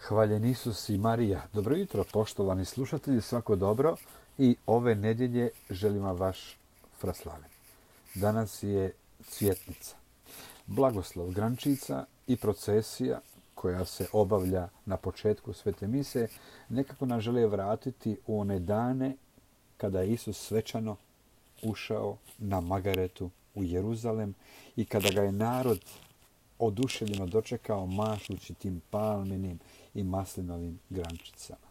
Hvaljen Isus i Marija. Dobro jutro, poštovani slušatelji, svako dobro. I ove nedjelje želim vam vaš fraslaven. Danas je cvjetnica. Blagoslov grančica i procesija koja se obavlja na početku svete mise nekako nas žele vratiti u one dane kada je Isus svečano ušao na Magaretu u Jeruzalem i kada ga je narod oduševljeno dočekao mašući tim palminim i maslinovim grančicama.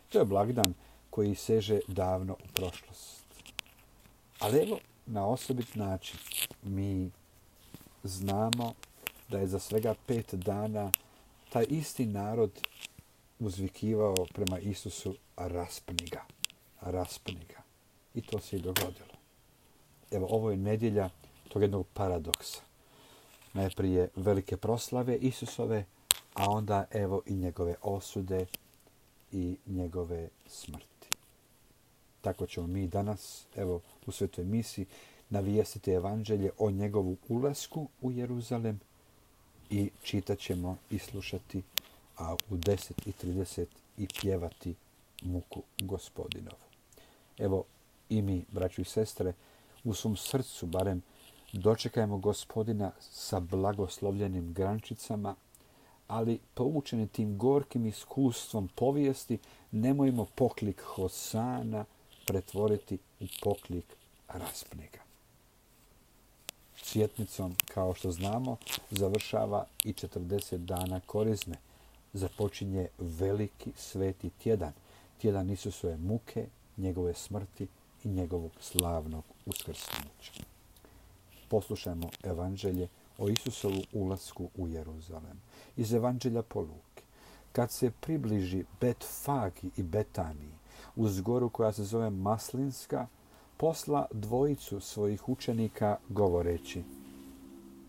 To je blagdan koji seže davno u prošlost. Ali evo, na osobit način mi znamo da je za svega 5 dana taj isti narod uzvikivao prema Isusu raspni ga, raspni ga. I to se i dogodilo. Evo, ovo je nedjelja tog jednog paradoksa. Najprije velike proslave Isusove, a onda evo i njegove osude i njegove smrti. Tako ćemo mi danas, evo u svetoj misi, navijestiti evanđelje o njegovu ulasku u Jeruzalem i čitat ćemo i slušati, a u 10:30 i pjevati muku Gospodinovu. Evo i mi, braćo i sestre, u svom srcu barem dočekajmo Gospodina sa blagoslovljenim grančicama, ali poučeni tim gorkim iskustvom povijesti, nemojmo poklik Hosana pretvoriti u poklik raspni ga. Cvjetnicom, kao što znamo, završava i 40 dana korizme. Započinje veliki sveti tjedan, tjedan Isusove muke, njegove smrti i njegovog slavnog uskrsnuća. Poslušajmo evanđelje o Isusovu ulasku u Jeruzalem. Iz evanđelja po Luki. Kad se približi Betfagi i Betaniji, uz goru koja se zove Maslinska, posla dvojicu svojih učenika govoreći: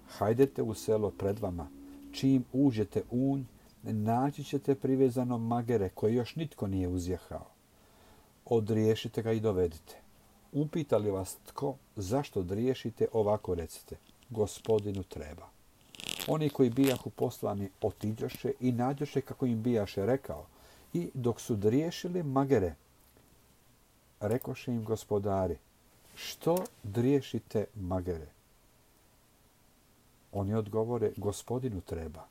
hajdete u selo pred vama, čim uđete u nj, naći ćete privezano magere koje još nitko nije uzjahao. Odriješite ga i dovedite. Upita li vas tko zašto driješite, ovako recite: Gospodinu treba. Oni koji bijahu poslani otiđoše i nađoše kako im bijaše rekao, i dok su driješili magere, rekoše im gospodari: što driješite magere? Oni odgovore: Gospodinu treba.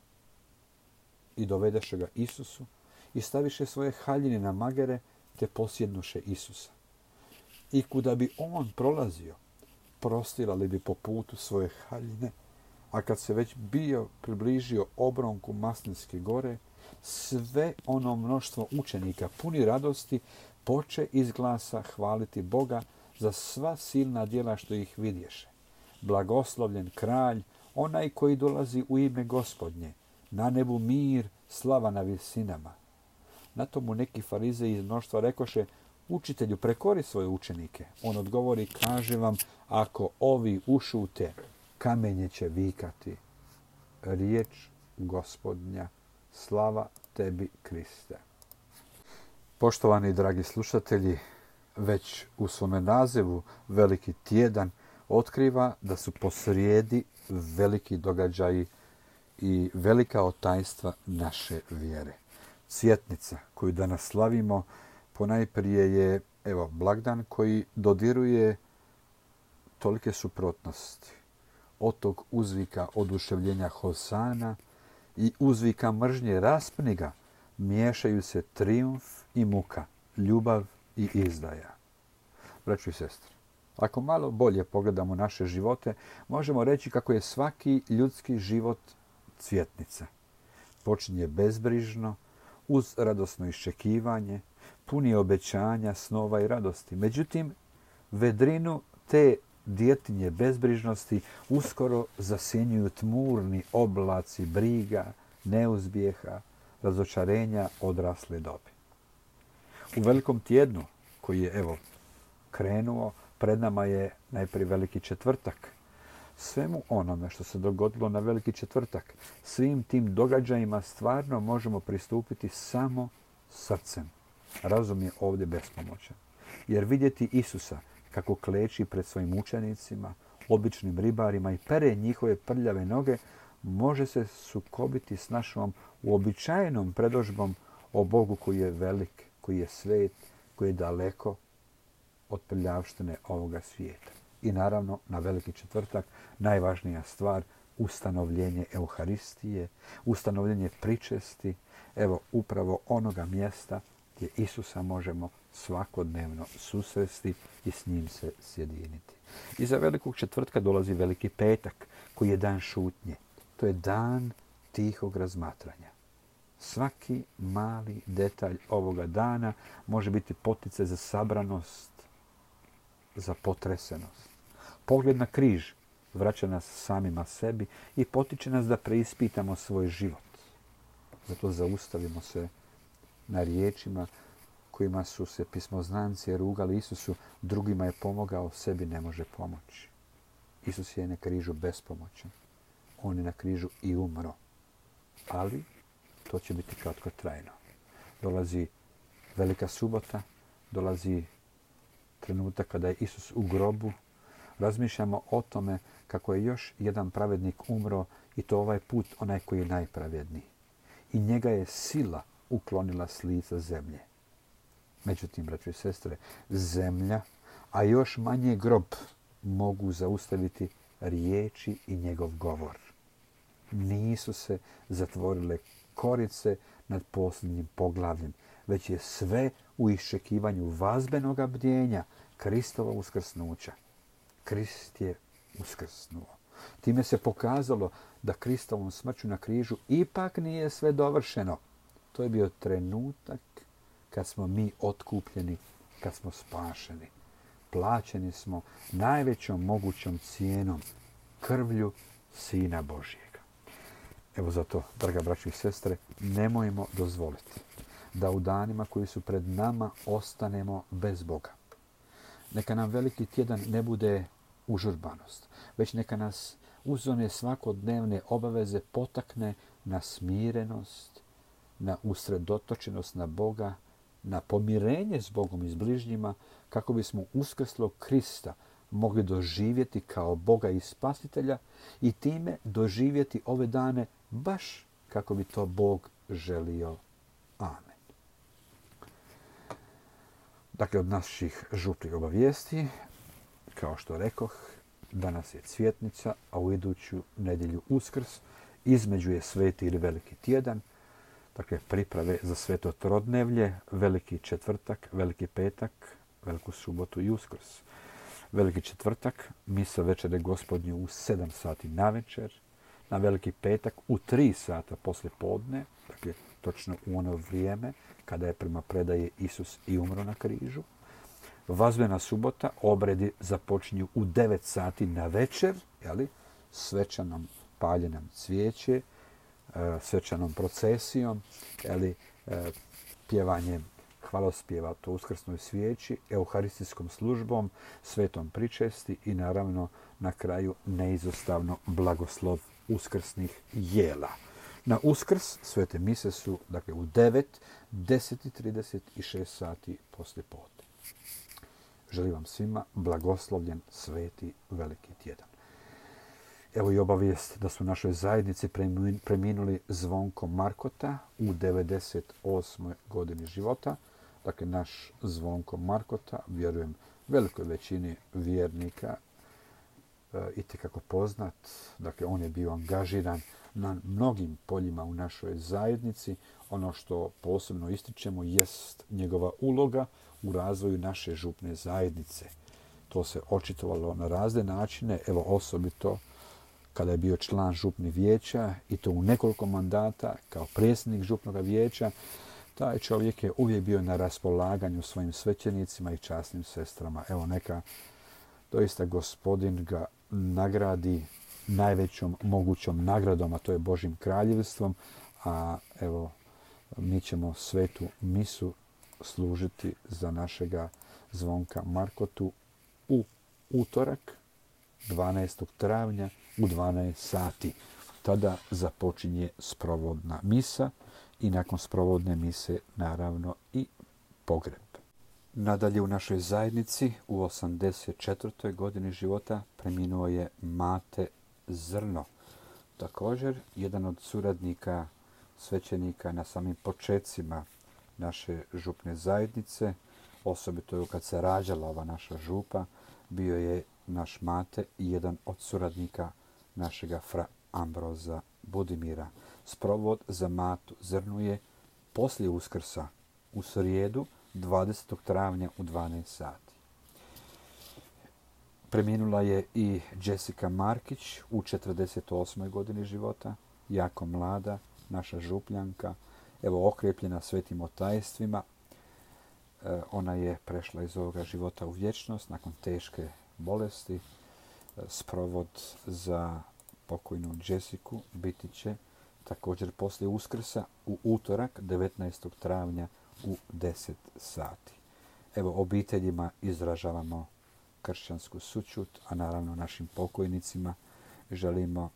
I dovedeše ga Isusu i staviše svoje haljine na magere, te posjednuše Isusa. I kuda bi on prolazio, prostirali bi po putu svoje haljine, a kad se već bio približio obronku Maslinske gore, sve ono mnoštvo učenika puni radosti poče iz glasa hvaliti Boga za sva silna djela što ih vidješe. Blagoslovljen kralj, onaj koji dolazi u ime Gospodnje, na nebu mir, slava na visinama. Na tomu neki farizeji iz mnoštva rekoše: učitelju, prekori svoje učenike. On odgovori: kaže vam, ako ovi ušute, kamenje će vikati. Riječ Gospodnja, slava tebi, Kriste. Poštovani dragi slušatelji, već u svome nazivu Veliki tjedan otkriva da su posrijedi veliki događaji i velika tajstva naše vjere. Cvjetnica koju danas slavimo ponajprije je blagdan koji dodiruje tolike suprotnosti. Od tog uzvika oduševljenja Hosana i uzvika mržnje raspni ga miješaju se trijumf i muka, ljubav i izdaja. Braćo i sestre, ako malo bolje pogledamo naše živote, možemo reći kako je svaki ljudski život cvjetnica. Počinje bezbrižno, uz radosno iščekivanje, puni obećanja, snova i radosti. Međutim, vedrinu te djetinje bezbrižnosti uskoro zasjenjuju tmurni oblaci briga, neuspjeha, razočarenja odrasle dobi. U Velikom tjednu, koji je krenuo, pred nama je najprije Veliki četvrtak. Svemu onome što se dogodilo na Veliki četvrtak, svim tim događajima stvarno možemo pristupiti samo srcem. Razum je ovdje bespomoćan. Jer vidjeti Isusa kako kleči pred svojim učenicima, običnim ribarima i pere njihove prljave noge, može se sukobiti s našom uobičajenom predodžbom o Bogu koji je velik, koji je svet, koji je daleko od prljavštine ovoga svijeta. I naravno, na Veliki četvrtak, najvažnija stvar, ustanovljenje Euharistije, ustanovljenje pričesti, evo upravo onoga mjesta gdje Isusa možemo svakodnevno susresti i s njim se sjediniti. Iza Velikog četvrtka dolazi Veliki petak, koji je dan šutnje. To je dan tihog razmatranja. Svaki mali detalj ovoga dana može biti poticaj za sabranost, za potresenost. Pogled na križ vraća nas samima sebi i potiče nas da preispitamo svoj život. Zato zaustavimo se na riječima kojima su se pismoznanci rugali Isusu, drugima je pomogao, sebi ne može pomoći. Isus je na križu bespomoćan. On je na križu i umro. Ali to će biti kratkotrajno. Dolazi Velika subota, dolazi trenutak kada je Isus u grobu. Razmišljamo o tome kako je još jedan pravednik umro i to ovaj put onaj koji je najpravedniji. I njega je sila uklonila s lica zemlje. Međutim, braćo i sestre, zemlja, a još manje grob mogu zaustaviti riječi i njegov govor. Nisu se zatvorile korice nad posljednjim poglavljem, već je sve u iščekivanju vazbenoga bdjenja Kristova uskrsnuća. Krist je uskrsnuo. Time se pokazalo da Kristovom smrću na križu ipak nije sve dovršeno. To je bio trenutak kad smo mi otkupljeni, kad smo spašeni. Plaćeni smo najvećom mogućom cijenom, krvlju Sina Božjega. Evo zato, draga braćo i sestre, nemojmo dozvoliti da u danima koji su pred nama ostanemo bez Boga. Neka nam Veliki tjedan ne bude užurbanost, već neka nas uz one svakodnevne obaveze potakne na smirenost, na usredotočenost na Boga, na pomirenje s Bogom i s bližnjima, kako bismo uskrslog Krista mogli doživjeti kao Boga i Spasitelja i time doživjeti ove dane baš kako bi to Bog želio. Amen. Dakle, od naših župnih obavijesti, kao što rekoh, danas je Cvjetnica, a u iduću nedjelju Uskrs, između je Sveti ili Veliki tjedan, dakle priprave za Sveto Trodnevlje, Veliki četvrtak, Veliki petak, Veliku subotu i Uskrs. Veliki četvrtak, misa večere Gospodnje u 7 sati navečer, na Veliki petak u 3 sata poslije podne, dakle točno u ono vrijeme kada je prema predaji Isus i umro na križu. Vazbena subota, obredi započinju u 9 sati na večer, svečanom paljenjem cvijeće, svečanom procesijom, pjevanjem hvalospjeva to uskrsnoj svijeći, euharistijskom službom, svetom pričesti i naravno na kraju neizostavno blagoslov uskrsnih jela. Na Uskrs svete mise su dakle u 9, 10:30 i 6 sati poslije podne. Želim vam svima blagoslovljen Sveti Veliki tjedan. Evo i obavijest da su u našoj zajednici preminuli Zvonko Markota u 98. godini života. Dakle, naš Zvonko Markota, vjerujem velikoj većini vjernika, itekako poznat. Dakle, on je bio angažiran na mnogim poljima u našoj zajednici. Ono što posebno ističemo jest njegova uloga u razvoju naše župne zajednice. To se očitovalo na razne načine, evo osobito kada je bio član župnih vijeća i to u nekoliko mandata kao predsjednik župnog vijeća. Taj čovjek je uvijek bio na raspolaganju svojim svećenicima i časnim sestrama. Evo neka doista Gospodin ga nagradi najvećom mogućom nagradom, a to je Božjim kraljevstvom. A evo, mi ćemo svetu misu služiti za našega Zvonka Markotu u utorak, 12. travnja u 12 sati. Tada započinje sprovodna misa i nakon sprovodne mise naravno i pogreb. Nadalje u našoj zajednici u 84. godini života preminuo je Mate Zrno. Također, jedan od suradnika svećenika na samim počecima naše župne zajednice, osobito kad se rađala ova naša župa, bio je naš mate i jedan od suradnika našega fra Ambroza Budimira. Sprovod za Matu Zrnu je poslije Uskrsa u srijedu 20. travnja u 12 sati. Preminula je i Jessica Markić u 48. godini života, jako mlada, naša župljanka, evo okrepljena svetim otajstvima. Ona je prešla iz ovoga života u vječnost nakon teške bolesti. Sprovod za pokojnu Jessiku biti će također poslije Uskrsa u utorak 19. travnja u 10 sati. Evo, obiteljima izražavamo kršćansku sućut, a naravno našim pokojnicima želimo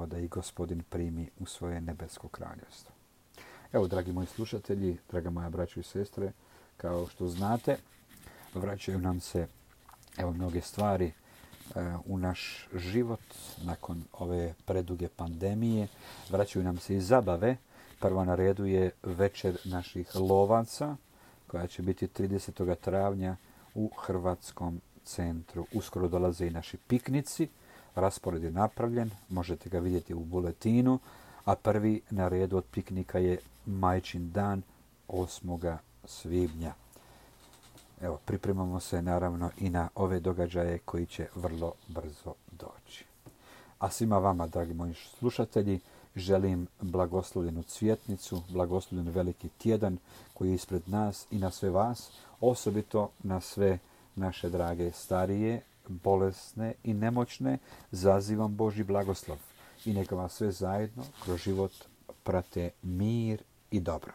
da ih Gospodin primi u svoje nebesko kraljevstvo. Evo, dragi moji slušatelji, draga moja braćo i sestre, kao što znate, vraćaju nam se mnoge stvari u naš život nakon ove preduge pandemije. Vraćaju nam se i zabave. Prvo na redu je večer naših lovaca, koja će biti 30. travnja u Hrvatskom centru. Uskoro dolaze i naši piknici. Raspored je napravljen, možete ga vidjeti u buletinu, a prvi na redu od piknika je Majčin dan 8. svibnja. Evo, pripremamo se naravno i na ove događaje koji će vrlo brzo doći. A svima vama, dragi moji slušatelji, želim blagoslovljenu cvjetnicu, blagoslovljen veliki tjedan koji je ispred nas i na sve vas, osobito na sve naše drage starije, bolesne i nemoćne, zazivam Božji blagoslov i neka vas sve zajedno kroz život prate mir i dobro.